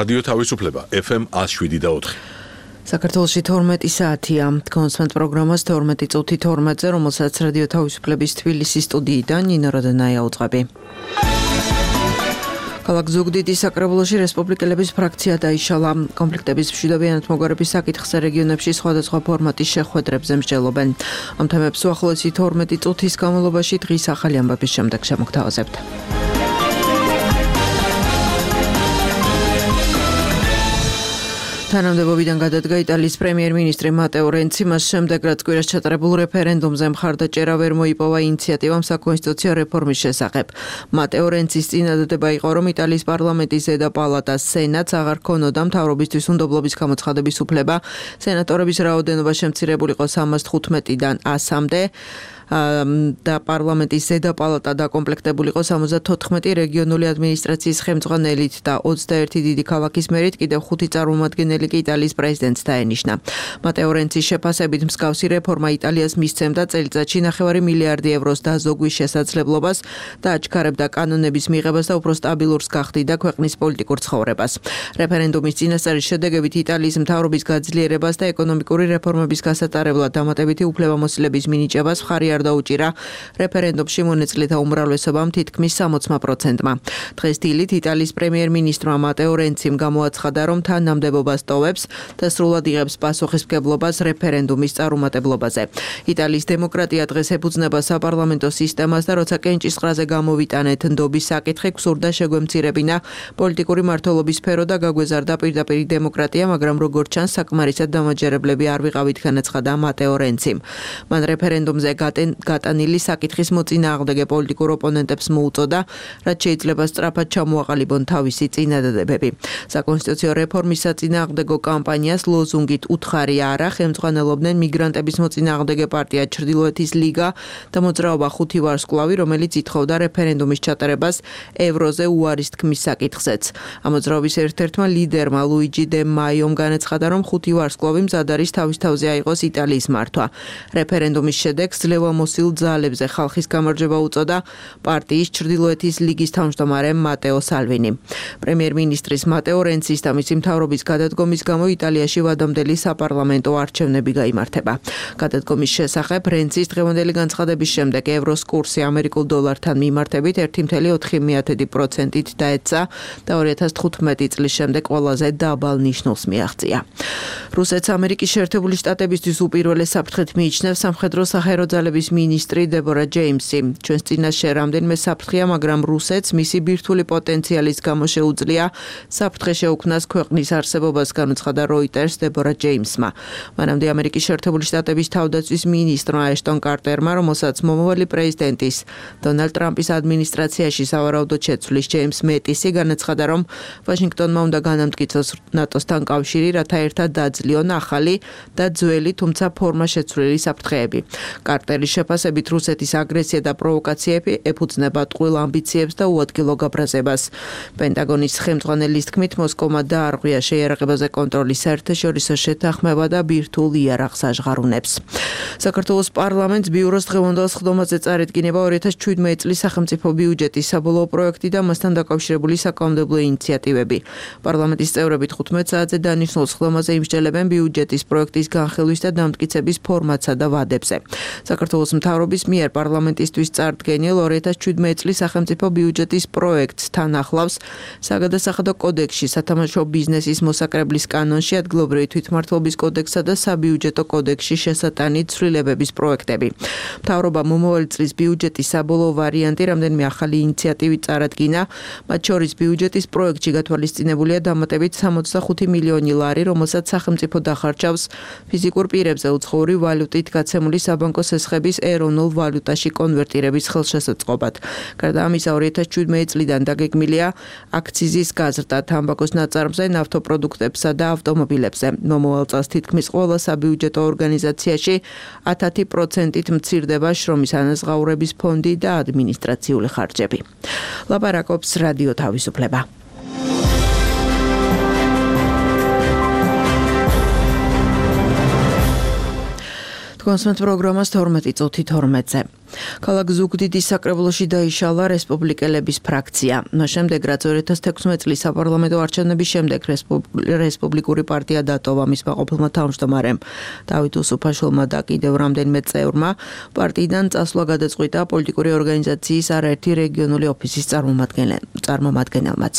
რადიო თავისუფლება FM 107.4. საქართველოში 12 საათია. კონსვენტ პროგრამას 12 წუთი 12-ზე, რომელსაც რადიო თავისუფლების თბილისის სტუდიიდან ნინო როდენაია უძღვები. ქალაქ ზუგდიდის საკრებულოში რესპუბლიკელების ფრაქცია დაიშალა. კონფლიქტების მშვიდობიანად მოგვარების საკითხზე რეგიონებში სხვადასხვა ფორმატის შეხვედრებზე მსჯელობენ. ამ თემებს უახლოესი 12 წუთის განმავლობაში დღის ახალი ამბების შემდეგ შემოგთავაზებთ. თანამდებობიდან გადადგა იტალიის პრემიერ-მინისტრი მატეო რენცი, მას შემდეგ რაც კვირას ჩატარებულ რეფერენდუმზე მხარდაჭერა ვერ მოიპოვა ინიციატივამ საკონსტიტუციო რეფორმის შესახებ. მატეო რენცის წინადადება იყო, რომ იტალიის პარლამენტის ზედა პალატას სენატს აღარ ქონოდა მთავრობისთვის უნდობლობის გამოცხადების უფლება. სენატორების რაოდენობა შემცირებულიყო 315-დან 100-მდე. და პარლამენტის ზედა პალატა დაკომპლექტებულიყო 74 რეგიონული ადმინისტრაციის ხელმძღვანელით და 21 დიდი ქალაქის მერით, კიდევ 5 წარმომადგენელი კი იტალიის პრეზიდენტს დაენიშნა. მატეო რენცის შეფასებით მსგავსი რეფორმა იტალიას მისცემდა წელიწადში 9 მილიარდი ევროს დაზოგვის შესაძლებლობას და აჩქარებდა კანონების მიღებას და უფრო სტაბილურს გახდიდა ქვეყნის პოლიტიკურ ცხოვრებას. რეფერენდუმის წინასწარის შედეგებით იტალიის მთავრობის გაძლიერებას და ეკონომიკური რეფორმების გასატარებლად დამატებითი უფლებამოსილების მინიჭებას მხარი დაუჭირა რეფერენდუმში მონაწილეთა უმრავლესობამ თითქმის 60%-მა. დღეს დილით იტალიის პრემიერ-მინისტრმა მატეო რენციმ გამოაცხადა, რომ თანამდებობას ტოვებს და სრულად იღებს პასუხისმგებლობას რეფერენდუმის წარუმატებლობაზე. იტალიის დემოკრატია დღეს ეფუძნება საპარლამენტო სისტემას და როცა კენჭისყრაზე გამოვიტანეთ ნდობის საკითხი, გსურდა შეგვემცირებინა პოლიტიკური მმართველობის სფერო და გაგვეზარდა პირდაპირ დემოკრატია, მაგრამ როგორც ჩანს, საკმარისად დამაჯერებლები არ ვიყავით, განაცხადა მატეო რენციმ. მან რეფერენდუმზე გატანილი საკითხის მოწინააღმდეგე პოლიტიკურ ოპონენტებს მოუწოდა, რაც შეიძლება სწრაფად ჩამოაყალიბონ თავისი წინადადებები. საკონსტიტუციო რეფორმის საწინააღმდეგო კამპანიას ლოზუნგით უთხარი არა ხელმძღვანელობდნენ მიგრანტების მოწინააღმდეგე პარტია ჩრდილოეთის ლიგა და მოძრაობა 5 ვარსკვლავი, რომელიც ითხოვდა რეფერენდუმის ჩატარებას ევროზე უარის თქმის საკითხზეც. ამ მოძრაობის ერთ-ერთმა ლიდერმა ლუიჯი დე მაიომ განაცხადა, რომ 5 ვარსკვლავი მზად არის თავის თავზე აიღოს იტალიის მართვა. რეფერენდუმის შედეგს მოსილ ძალებზე ხალხის გამარჯვება უწოდა პარტიის ჩრდილოეთის ლიგის თავმჯდომარე მატეო სალვინი. პრემიერ-მინისტრის მატეო რენცის და მისი მთავრობის გადადგომის გამო იტალიაში ვადამდელი საპარლამენტო არჩევნები გაიმართება. გადადგომის შესახებ რენცის დღევანდელი განცხადების შემდეგ ევროს კურსი ამერიკულ დოლართან მიმართებით 1.4%-ით დაეცა და 2015 წლის შემდეგ ყველაზე დაბალ ნიშნულს მიაღწია. რუსეთს ამერიკის შეერთებული შტატებისთვის უპირველეს საფრთხედ მიიჩნევს სამხედრო საჰაერო ძალების მინისტრი დებორა ჯეიმსი. ჩვენს წინაშე რამდენიმე საფრთხეა, მაგრამ რუსეთს მისი ბირთვული პოტენციალის გამო შეუძლია საფრთხე შეუქმნას ქვეყნის არსებობას, განუცხადა როიტერს დებორა ჯეიმსმა. მანამდე ამერიკის შეერთებული შტატების თავდაცვის მინისტრმა ეშტონ კარტერმა, რომელსაც მომავალი პრეზიდენტის დონალდ ტრამპის ადმინისტრაციაში სავარაუდოდ შეცვლის ჯეიმს მეტისი, განაცხადა, რომ ვაშინგტონმა უნდა განამტკიცოს ნატოსთან კავშირი, რათა ერთად დაძლიონ ახალი და ძველი, თუმცა ფორმა შეცვლილი საფრთხეები. კარტერის შეფასებით რუსეთის აგრესია და პროვოკაციები ეფუძნება ტყუილ ამბიციებს და უადგილო გაბრაზებას. პენტაგონის ხელმძღვანელის თქმით, მოსკოვმა დაარღვია შეიარაღებაზე კონტროლის საერთაშორისო შეთანხმება და ბირთვულ იარაღს აღარუნებს. საქართველოს პარლამენტს ბიუროს დღევანდელ სხდომაზე წარედგინება 2017 წლის სახელმწიფო ბიუჯეტის საბოლოო პროექტი და მასთან დაკავშირებული საკანონმდებლო ინიციატივები. პარლამენტის წევრები 15 საათზე დანიშნულ სხდომაზე იმსჯელებენ ბიუჯეტის პროექტის განხილვის და დამტკიცების ფორმატსა და ვადებზე. საქართველოს მთავრობის მიერ პარლამენტისთვის წარდგენილ 2017 წლის სახელმწიფო ბიუჯეტის პროექტს თან ახლავს საგადასახადო კოდექსში, სათამაშო ბიზნესის მოსაკრებლის კანონში, ადგილობრივი თვითმმართველობის კოდექსსა და საბიუჯეტო კოდექსში შესატანით ცვლილებების პროექტები. მთავრობა მომავალი წლის ბიუჯეტის საბოლოო ვარიანტი რამდენიმე ახალი ინიციატივით წარადგინა, მათ შორის ბიუჯეტის პროექტში გათვალისწინებულია დამატებით 65 მილიონი ლარი, რომელსაც სახელმწიფო დახარჯავს ფიზიკურ პირებზე უცხოური ვალუტით გაცემული საბანკო სესხების ეროვნულ ვალუტაში კონვერტირების ხელშესაწყობად. გარდა ამისა, 2017 წლიდან დაგეგმილია აქციზის გაზრდა თამბაქოს ნაწარმზე, ნავთობპროდუქტებსა და ავტომობილებზე. მომავალ წელს თითქმის ყველა საბიუჯეტო ორგანიზაციაში 10%-ით მცირდება შრომის ანაზღაურების ფონდი და ადმინისტრაციული ხარჯები. ლაპარაკობს რადიო თავისუფლება. კონსვენტ პროგრამას 12 წუთი 12-ზე. ქალაქ ზუგდიდის საკრებულოში დაიშალა რესპუბლიკელების ფრაქცია. მას შემდეგ, რაც 2016 წლის საპარლამენტო არჩევნების შემდეგ რესპუბლიკური პარტია დატოვა მის მაყოფილმა თავმჯდომარემ დავით უსუფაშვილმა და კიდევ რამდენიმე წევრმა პარტიიდან წასვლა გადაწყვიტა პოლიტიკური ორგანიზაციის არაერთი რეგიონული ოფისის წარმომადგენელმაც.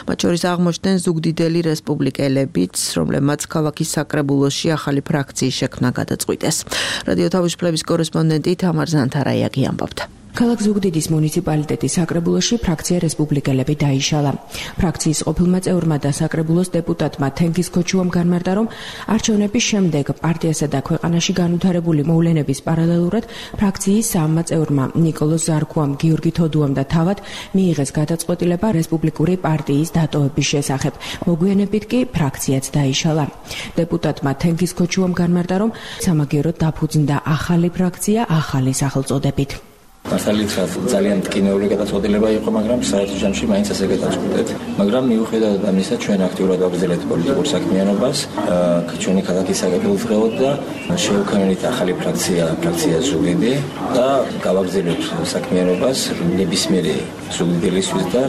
მათ შორის აღმოჩნდნენ ზუგდიდელი რესპუბლიკელებიც, რომლებმაც ქალაქის საკრებულოში ახალი ფრაქციის შექმნა გადაწყვიტეს. რადიო თავისუფლების კორესპონდენტი თამარ ზანთარაიაგი ამბობდა. ქალაქ ზუგდიდის მუნიციპალიტეტის საკრებულოში ფრაქცია რესპუბლიკელები დაიშალა. ფრაქციის ყოფილმა წევრმა და საკრებულოს დეპუტატმა თენგიზ ქოჩუამ განმარტა, რომ არჩევნების შემდეგ პარტიასა და ქვეყანაში განვითარებული მოვლენების პარალელურად ფრაქციის სამმა წევრმა ნიკოლოზ ზარქუამ, გიორგი თოდუამ და თავად მიიღეს გადაწყვეტილება რესპუბლიკური პარტიის დატოვების შესახებ. მოგვიანებით კი ფრაქციაც დაიშალა. დეპუტატმა თენგიზ ქოჩუამ განმარტა, რომ სამაგიეროდ დაფუძნდა ახალი ფრაქცია ახალი სახელწოდებით. მართალითაც ძალიან მტკივნეული გადაწყვეტილება იყო, მაგრამ საერთო ჯამში მაინც ასე გადავწყვეტეთ. მაგრამ მიუხედავად ამისა, ჩვენ აქტიურად ვაგრძელებთ პოლიტიკურ საქმიანობას, ჩვენი ქალაქის საკრებულოს და შევქმნით ახალი ფრაქცია ზუგდიდი და გავაგრძელებთ საქმიანობას ნებისმიერი ზუგდიდელისთვის და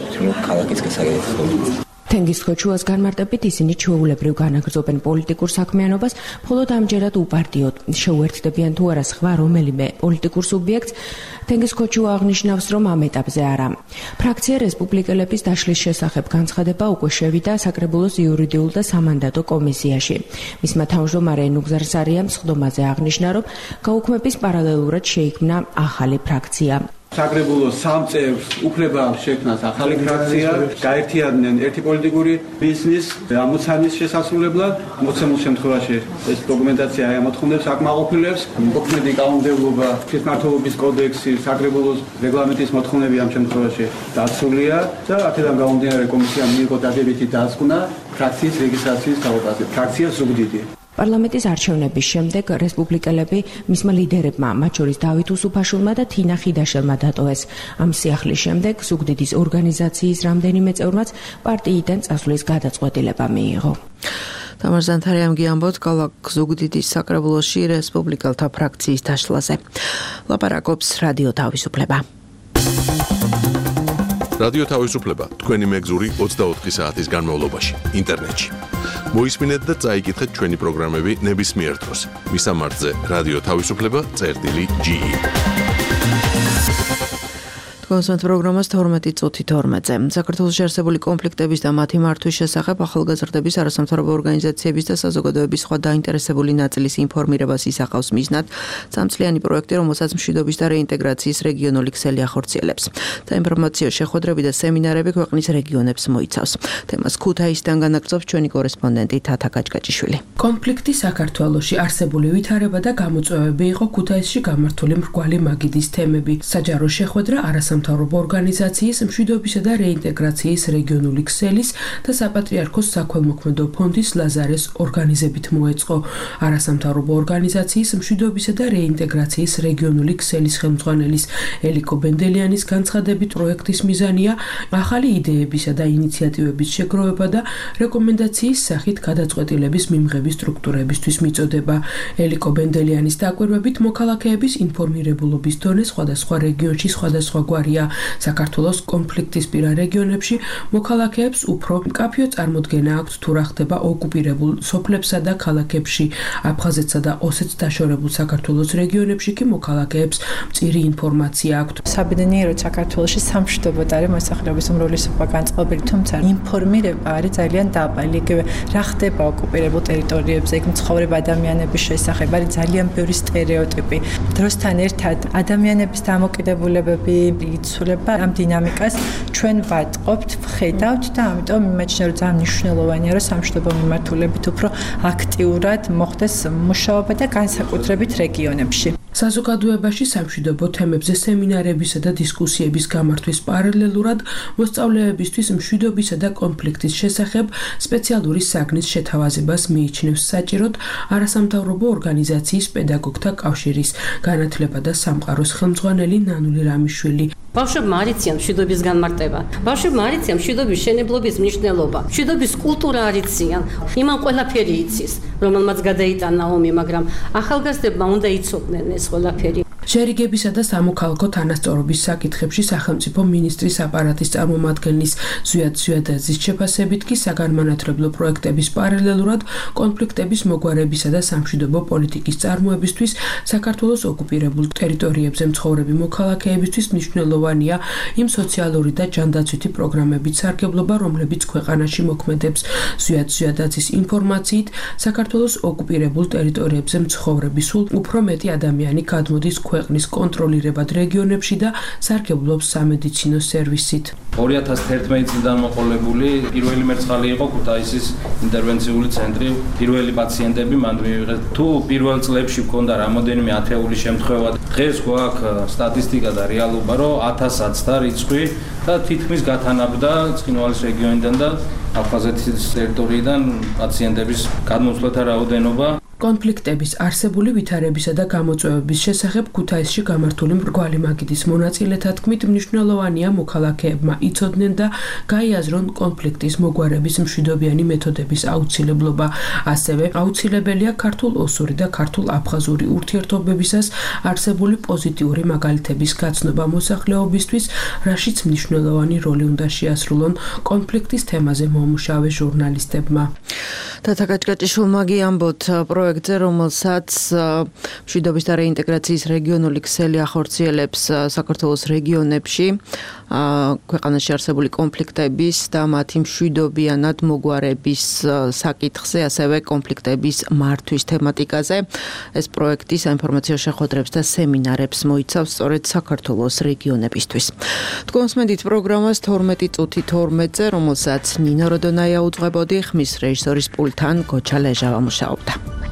ქალაქის გასაგებად. თენგიზ ქოჩუას განმარტებით ისინი ჩვეულებრივ განაგრძობენ პოლიტიკურ საქმიანობას, მხოლოდ ამჯერად უპარტიოდ შეუერთდებიან თუ არა სხვა რომელიმე პოლიტიკურ სუბიექტს. თენგიზ ქოჩუა აღნიშნავს, რომ ამ ეტაპზე არა. ფრაქცია რესპუბლიკელების დაშლის შესახებ განცხადება უკვე შევიდა საკრებულოს იურიდიულ და სამანდატო კომისიაში. მისმა თავმჯდომარე ნუგზარ სარიამ სხდომაზე აღნიშნა, რომ გაუქმების პარალელურად შეიქმნა ახალი ფრაქცია. საკრებულოს სამ წევრს უფლება შექმნას ახალი ფრაქცია, გაერთიანდნენ ერთი პოლიტიკური ბიზნის ამოცანის შესასრულებლად. მოცემულ შემთხვევაში ეს დოკუმენტაცია ემოთხოვნებს აკმაყოფილებს, მოქმედი კანონმდებლობა, თვითმმართველობის კოდექსი, საკრებულოს რეგლამენტის მოთხოვნები ამ შემთხვევაში დაცულია და აქედან გამომდინარე კომისიამ მიიღო დადებითი დასკვნა ფრაქციის რეგისტრაციის თავობაზე. ფრაქცია ზუგდიდი. პარლამენტის არჩევნების შემდეგ რესპუბლიკელები მისმა ლიდერებმა, მათ შორის დავით უსუფაშვილმა და თინა ხიდაშელმა დატოვეს. ამ სიახლის შემდეგ ზუგდიდის ორგანიზაციის რამდენიმე წევრმაც პარტიიდან წასვლის გადაწყვეტილება მიიღო. თამარ ზანთარაიამ ამბობს ქალაქ ზუგდიდის საკრებულოში რესპუბლიკელთა ფრაქციის დაშლაზე. ლაპარაკობს რადიო თავისუფლება. რადიო თავისუფლება თქვენი მეგზური 24 საათის განმავლობაში ინტერნეტში. მოისმინეთ და წაიკითხეთ ჩვენი პროგრამები ნებისმიერ დროს. მისამართზე რადიო თავისუფლება.ge. კონსულტ პროგრამას 12:12-ზე. საქართველოში არსებული კონფლიქტების და მათი მართვის შესახებ ახალგაზრდების არასამთავრობო ორგანიზაციების და საზოგადოების სხვა დაინტერესებული ნაწილის ინფორმირებას ისახავს მიზნად სამწლიანი პროექტი, რომელსაც მშვიდობის და რეინტეგრაციის რეგიონული ქსელი ახორციელებს. საინფორმაციო შეხვედრები და სემინარები ქვეყნის რეგიონებს მოიცავს. თემას ქუთაისიდან განაგრძობს ჩვენი კორესპონდენტი თათა კაჭკაჭიშვილი. კონფლიქტი საქართველოში არსებული ვითარება და გამოწვევები იყო ქუთაისში გამართული მრგვალი მაგიდის თემები. საჯარო შეხვედრა არასამთავრობო ორგანიზაციის მშვიდობისა და რეინტეგრაციის რეგიონული ქსელის და საპატრიარქოს საქველმოქმედო ფონდის ლაზარეს ორგანიზებით მოეწყო. არასამთავრობო ორგანიზაციის მშვიდობისა და რეინტეგრაციის რეგიონული ქსელის ხელმძღვანელის ელიკო ბენდელიანის განცხადებით, პროექტის მიზანია ახალი იდეებისა და ინიციატივების შეგროვება და რეკომენდაციის სახით გადაწყვეტილების მიღების სტრუქტურებისთვის მიწოდება. ელიკო ბენდელიანის დაკვირვებით, მოქალაქეების ინფორმირებულობის დონე სხვადასხვა რეგიონში სხვადასხვაგვარია. საქართველოს კონფლიქტისპირა რეგიონებში მოქალაქეებს უფრო მკაფიო წარმოდგენა აქვთ თუ რა ხდება ოკუპირებულ სოფლებსა და ქალაქებში. აფხაზეთსა და ოსეთს დაშორებულ საქართველოს რეგიონებში კი მოქალაქეებს მწირი ინფორმაცია აქვთ. საბედნიეროდ საქართველოში სამშვიდობოდ არის მოსახლეობის უმრავლესობა განწყობილი, თუმცა ინფორმირება არის ძალიან დაბალი. იგივე რა ხდება ოკუპირებულ ტერიტორიებზე, იქ მცხოვრებ ადამიანების შესახებ არის ძალიან ბევრი სტერეოტიპი. დროსთან ერთად ადამიანების დამოკიდებულებები იცვლება, ამ დინამიკას ჩვენ ვატყობთ, ვხედავთ და ამიტომ იმაჩნია, რომ ძალიან მნიშვნელოვანია, რომ სამშვიდობო მიმართულებით უფრო აქტიურად მოხდეს მუშაობა და განსაკუთრებით რეგიონებში. საზოგადოებაში სამშვიდობო თემებზე სემინარებისა და დისკუსიების გამართვის პარალელურად მოსწავლეებისთვის მშვიდობისა და კონფლიქტის შესახებ სპეციალური საგნის შეთავაზებას მიიჩნევს საჭიროდ არასამთავრობო ორგანიზაციის პედაგოგთა კავშირის განათლება და სამყაროს ხელმძღვანელი ნანული რამიშვილი. ბავშვებმა არ იციან მშვიდობის განმარტება. ბავშვებმა არ იციან მშვიდობის მშენებლობის მნიშვნელობა. მშვიდობის კულტურა არ იციან. იმან ყველაფერი იცის, რომელმაც გადაიტანა ომი, მაგრამ ახალგაზრდებმა უნდა იცოდნენ ეს ყველაფერი. შერიგებისა და სამოქალაქო თანასწორობის საკითხებში სახელმწიფო მინისტრის აპარატის წარმომადგენლის ზვიად ზვიადაძის შეფასებით კი საგანმანათლებლო პროექტების პარალელურად კონფლიქტების მოგვარებისა და სამშვიდობო პოლიტიკის წარმოებისთვის საქართველოს ოკუპირებულ ტერიტორიებზე მცხოვრები მოქალაქეებისთვის მნიშვნელოვანია იმ სოციალური და ჯანდაცვითი პროგრამების სარგებლობა, რომლებიც ქვეყანაში მოქმედებს. ზვიად ზვიადაძის ინფორმაციით, საქართველოს ოკუპირებულ ტერიტორიებზე მცხოვრები სულ უფრო მეტი ადამიანი გადმოდის ქვეყნის კონტროლირებად რეგიონებში და სარგებლობს სამედიცინო სერვისით. 2011 წლიდან მოყოლებული პირველი მერცხალი იყო ქუთაისის ინტერვენციული ცენტრი. პირველი პაციენტები მან მიიღეს. თუ პირველ წლებში ჰქონდა რამოდენიმე ათეული შემთხვევა, დღეს გვაქვს სტატისტიკა და რეალობა, რომ 1000-ს და რიცხვი და თითქმის გათანაბდა ცხინვალის რეგიონიდან და აფხაზეთის ტერიტორიიდან პაციენტების გადმოსვლათა რაოდენობა. კონფლიქტების არსებული ვითარებისა და გამოწვევების შესახებ ქუთაისში გამართული მრგვალი მაგიდის მონაწილეთა თქმით, მნიშვნელოვანია მოქალაქეებმა იცოდნენ და გაიაზრონ კონფლიქტის მოგვარების მშვიდობიანი მეთოდების აუცილებლობა. ასევე აუცილებელია ქართულ-ოსური და ქართულ-აფხაზური ურთიერთობებისას არსებული პოზიტიური მაგალითების გაცნობა მოსახლეობისთვის, რაშიც მნიშვნელოვანი როლი უნდა შეასრულონ კონფლიქტის თემაზე მომუშავე ჟურნალისტებმა. თათა გაჭგაჭიშვილმა გიამბოთ პროექტზე, რომელსაც მშვიდობის და რეინტეგრაციის რეგიონული ქსელი ახორციელებს საქართველოს რეგიონებში ქვეყანაში არსებული კონფლიქტების და მათი მშვიდობიანად მოგვარების საკითხზე, ასევე კონფლიქტების მართვის თემატიკაზე. ეს პროექტი საინფორმაციო შეხვედრებს და სემინარებს მოიცავს სწორედ საქართველოს რეგიონებისთვის. თქვენსმენდით პროგრამას 12 წუთი 12-ზე, რომელსაც ნინო როდონაია უძღვებოდი, ხმის რეჟისორის პულტთან გოჩა ლეჟავა მუშაობდა.